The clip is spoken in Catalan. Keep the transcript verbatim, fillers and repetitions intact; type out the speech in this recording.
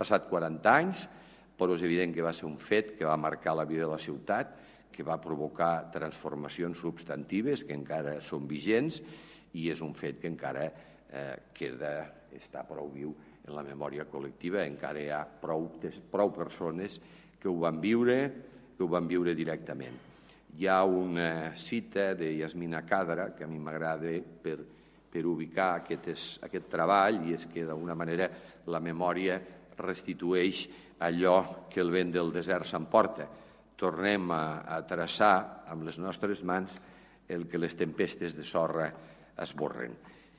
passat quaranta anys, però és evident que va ser un fet que va marcar la vida de la ciutat, que va provocar transformacions substantives que encara són vigents i és un fet que encara queda, està prou viu en la memòria col·lectiva, encara hi ha prou, prou persones que ho van viure, que ho van viure directament. Hi ha una cita de Yasmina Khadra que a mi m'agrada per, per ubicar aquest, aquest treball, i és que d'alguna manera la memòria restitueix allò que el vent del desert s'emporta. Tornem a, a traçar amb les nostres mans el que les tempestes de sorra esborren.